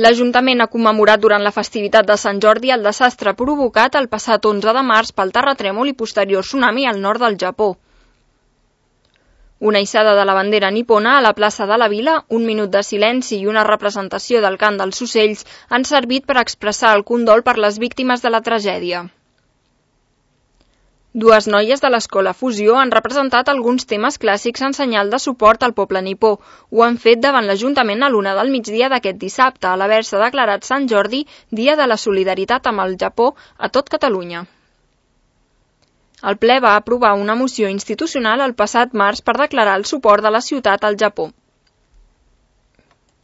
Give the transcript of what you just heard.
L'Ajuntament ha commemorat durant la festivitat de Sant Jordi el desastre provocat el passat 11 de març pel terratrèmol i posterior tsunami al nord del Japó. Una hissada de la bandera nipona a la plaça de la Vila, un minut de silenci i una representació del cant dels ocells han servit per expressar el condol per les víctimes de la tragèdia. Dues noies de l'escola Fusió han representat alguns temes clàssics en senyal de suport al poble nipó. Ho han fet davant l'Ajuntament a l'1 del migdia d'aquest dissabte, a l'haver-se declarat Sant Jordi, Dia de la Solidaritat amb el Japó a tot Catalunya. El ple va aprovar una moció institucional el passat març per declarar el suport de la ciutat al Japó.